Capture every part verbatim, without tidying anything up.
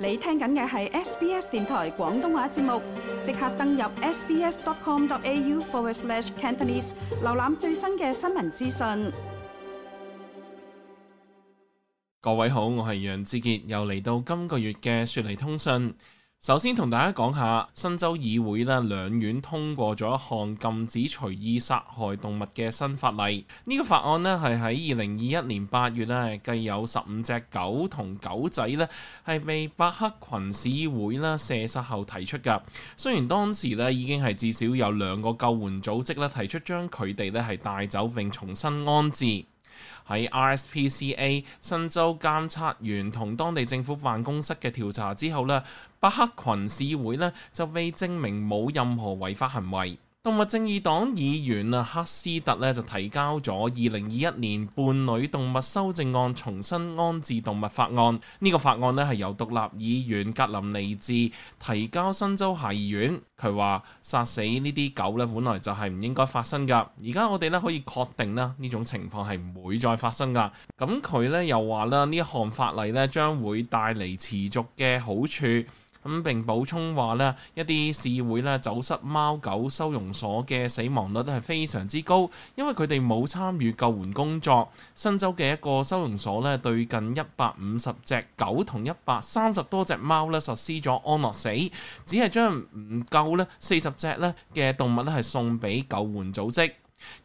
你聽緊嘅係 S B S 電台廣東話節目，即刻登入 sbs.com.au forward slash Cantonese， 瀏覽最新嘅新聞資訊。各位好，我係楊志傑，又嚟到今個月嘅雪梨通訊。首先同大家講下，新州議會咧兩院通過咗一項禁止隨意殺害動物嘅新法例。呢、這個法案咧係喺二零二一年八月咧，繼有十五隻狗同狗仔咧係被伯克群市議會咧射殺後提出㗎。雖然當時咧已經係至少有兩個救援組織咧提出將佢哋咧係帶走並重新安置。喺 R S P C A 新州監察員同當地政府辦公室嘅調查之後呢，伯克群市議會呢就被證明冇任何違法行為。動物正義黨議員啊克斯特呢就提交咗二零二一年伴侶動物修正案重新安置動物法案。呢、這個法案呢係由獨立議員格林尼治提交新州下議院。佢話殺死呢啲狗呢本來就係唔應該發生噶，而家我哋呢可以確定啦，呢種情況係唔會再發生噶。咁佢呢又話啦，呢一項法例呢將會帶嚟持續嘅好處。咁並補充話咧，一啲市議會咧走失貓狗收容所嘅死亡率係非常之高，因為佢哋冇參與救援工作。新州嘅一個收容所咧對近一百五十隻狗同一百三十多隻貓咧實施咗安樂死，只係將唔夠咧四十隻咧嘅動物咧係送俾救援組織。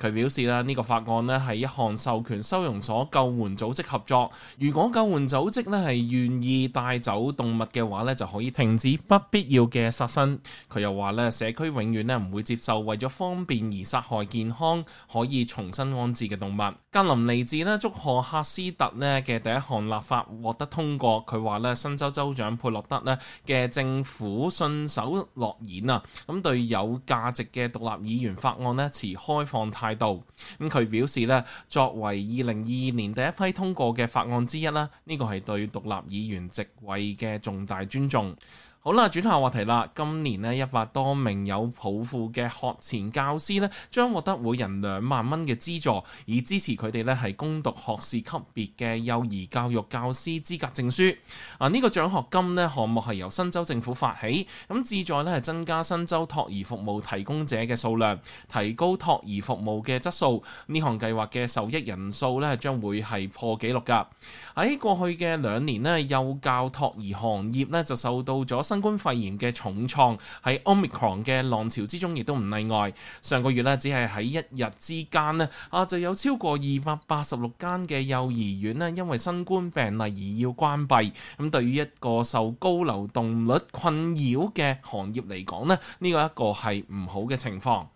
佢表示啦，呢個法案咧係一項授權收容所救援組織合作，如果救援組織咧係願意帶走動物嘅話咧，就可以停止不必要嘅殺生。佢又話咧，社區永遠咧唔會接受為咗方便而殺害健康可以重新安置嘅動物。格林尼治咧祝賀赫斯特咧嘅第一項立法獲得通過。佢話咧，新州州長佩洛德咧嘅政府信守諾言啊，咁對有價值嘅獨立議員法案咧持開放態度。咁佢表示咧，作為二零二二年第一批通過嘅法案之一啦，呢個係對獨立議員席位嘅重大尊重。好啦，轉下話題啦。今年呢，一百多名有抱負嘅學前教師呢，將獲得每人兩萬蚊嘅資助，以支持佢哋呢係攻讀學士級別嘅幼兒教育教師資格證書。啊，呢、這個獎學金呢項目係由新州政府發起，咁旨在呢係增加新州托兒服務提供者嘅數量，提高托兒服務嘅質素。呢項計劃嘅受益人數呢將會係破紀錄㗎。喺過去嘅兩年呢，幼教托兒行業呢就受到咗新冠肺炎嘅重創，喺 Omicron 嘅浪潮之中亦都唔例外。上個月咧，只係喺一日之間咧，啊就有超過二百八十六間嘅幼兒園咧，因為新冠病例而要關閉。咁對於一個受高流動率困擾嘅行業嚟講咧，呢個一個係唔好嘅情況。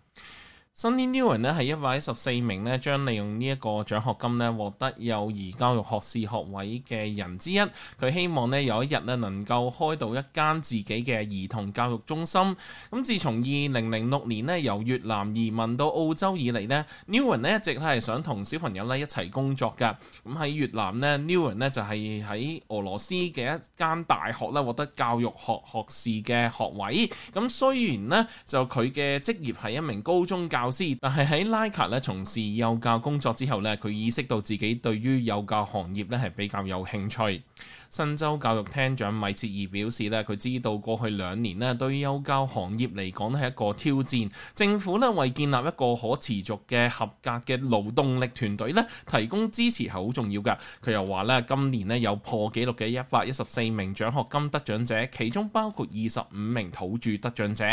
Sunny Nguyen 咧係一百一十四名咧將利用呢一個獎學金咧獲得幼兒教育學士學位嘅人之一。佢希望咧有一日咧能夠開到一間自己嘅兒童教育中心。咁自從二零零六年咧由越南移民到澳洲以嚟咧 Nguyen 咧一直係想同小朋友咧一齊工作㗎。咁喺越南咧 Nguyen 咧就係喺俄羅斯嘅一間大學咧獲得教育學學士嘅學位。咁雖然咧就佢嘅職業係一名高中教教師，但係喺拉卡咧從事幼教工作之後咧，佢意識到自己對於幼教行業咧係比較有興趣。新州教育廳長米切爾表示咧，佢知道過去兩年咧對幼教行業嚟講咧係一個挑戰，政府咧為建立一個可持續嘅合格嘅勞動力團隊咧提供支持係好重要㗎。佢又話咧，今年咧有破紀錄嘅一百一十四名獎學金得獎者，其中包括二十五名土著得獎者。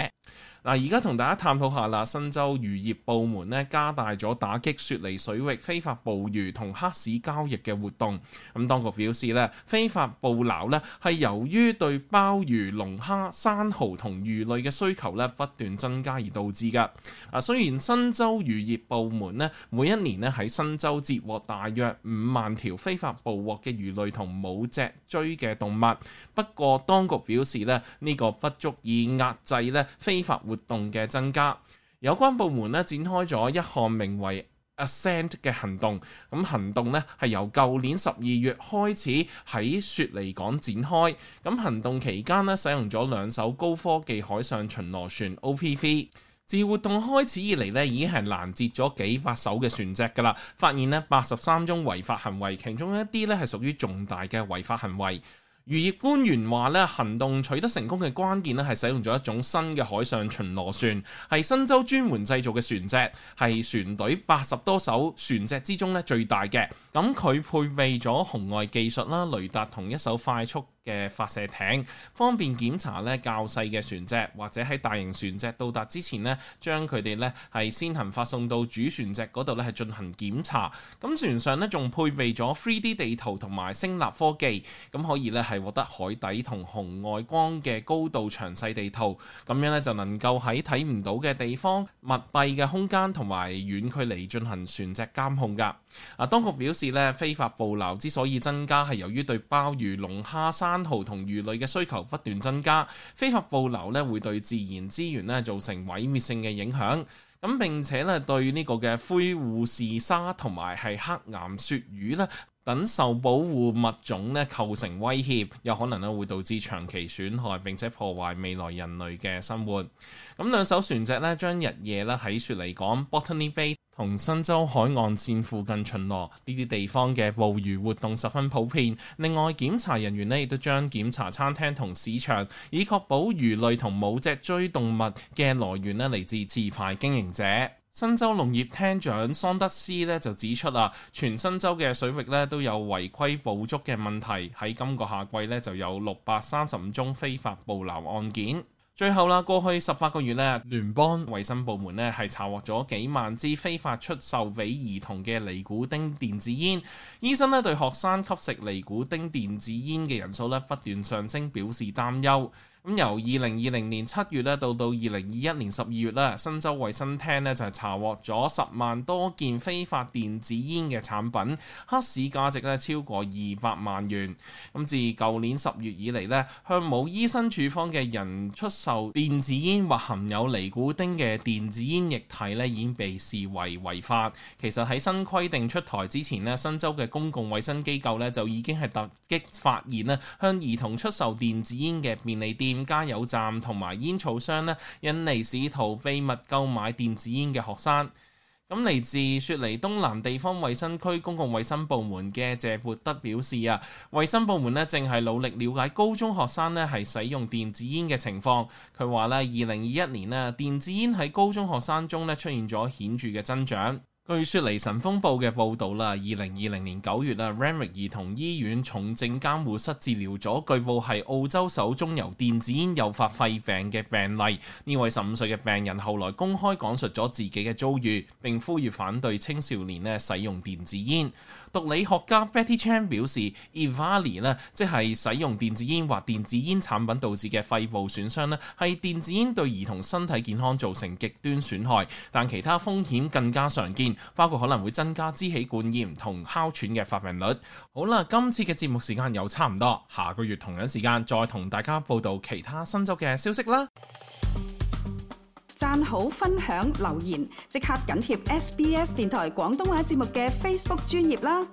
嗱，而家同大家探討下啦，新州漁業部門咧加大咗打擊雪梨水域非法捕魚同黑市交易嘅活動。咁當局表示咧，非法捕撈咧係由於對鮑魚、龍蝦、生蠔同魚類嘅需求咧不斷增加而導致㗎。啊，雖然新州漁業部門咧每一年咧喺新州截獲大約五萬條非法捕獲嘅魚類同冇脊椎嘅動物，不過當局表示咧呢個不足以壓制咧非法活動嘅增加。有關部門咧展開咗一項名為Ascent 嘅行動，咁行動咧係由舊年十二月開始喺雪梨港展開。咁行動期間咧使用咗兩艘高科技海上巡邏船 O P V。自活動開始以嚟咧，已經係攔截咗幾百艘嘅船隻㗎啦，發現咧八十三宗違法行為，其中一啲咧係屬於重大嘅違法行為。漁業官員話咧，行動取得成功嘅關鍵咧係使用咗一種新嘅海上巡邏船，係新州專門製造嘅船隻，係船隊八十多艘船隻之中咧最大嘅。咁佢配備咗紅外技術啦、雷達同一艘快速嘅發射艇，方便檢查咧較細嘅船隻，或者喺大型船隻到達之前咧，將佢哋咧係先行發送到主船隻嗰度咧係進行檢查。咁船上咧仲配備咗 三 D 地圖同埋聲納科技，咁可以咧係獲得海底同紅外光嘅高度詳細地圖，咁樣咧就能夠喺睇唔到嘅地方、密閉嘅空間同埋遠距離進行船隻監控㗎。啊，當局表示咧，非法捕撈之所以增加係由於對鮑魚、龍蝦、生蠔同魚類嘅需求不斷增加，非法捕撈咧會對自然資源咧造成毀滅性嘅影響。咁並且咧對呢個嘅灰護士鯊同埋係黑岩鱈魚咧等受保護物種咧構成威脅，有可能咧會導致長期損害並且破壞未來人類嘅生活。咁兩艘船隻咧將日夜咧喺雪梨港 Botany Bay 同新州海岸線附近巡邏，呢啲地方嘅捕魚活動十分普遍。另外，檢查人員咧亦都將檢查餐廳同市場，以確保魚類同冇脊椎動物嘅來源咧嚟自持牌經營者。新州農業廳長桑德斯咧就指出啊，全新州嘅水域咧都有違規捕捉嘅問題，喺今個夏季咧就有六百三十五宗非法捕撈案件。最後啦，過去十八個月咧，聯邦衛生部門咧係查獲咗幾萬支非法出售俾兒童嘅尼古丁電子煙。醫生咧對學生吸食尼古丁電子煙嘅人數咧不斷上升表示擔憂。咁由二零二零年七月咧到到二零二一年十二月咧，新州衛生廳咧就係查獲咗十萬多件非法電子煙嘅產品，黑市價值咧超過二百萬元。咁自舊年十月以嚟咧，向冇醫生處方嘅人出售電子煙或含有尼古丁嘅電子煙液體咧，已經被視為違法。其實喺新規定出台之前咧，新州嘅公共衛生機構咧就已經係突擊發現咧，向兒童出售電子煙嘅便利店、加油站同埋煙草商咧，引嚟試圖秘密購買電子煙嘅學生。咁嚟自雪梨東南地方衛生區公共衛生部門嘅謝潑德表示啊，衛生部門咧正係努力了解高中學生咧係使用電子煙嘅情況。佢話咧，二零二一年咧，電子煙喺高中學生中咧出現咗顯著嘅增長。據雪梨晨鋒報嘅報導啦，二零二零年九月啊 Randwick 兒童醫院重症監護室治療咗據報係澳洲首宗由電子煙誘發肺病嘅病例。呢位十五歲嘅病人後來公開講述咗自己嘅遭遇，並呼籲反對青少年咧使用電子煙。毒理學家 Betty Chan 表示 ，EVALI 咧即係使用電子煙或電子煙產品導致嘅肺部損傷咧，係電子煙對兒童身體健康造成極端損害，但其他風險更加常見。包括可能會增加支氣管炎同哮喘嘅發病率。好啦，今次嘅節目時間又差唔多，下個月同樣時間再同大家報道其他新州嘅消息啦。讚好、分享、留言，即刻緊貼 S B S 電台廣東話節目嘅 Facebook 專頁啦。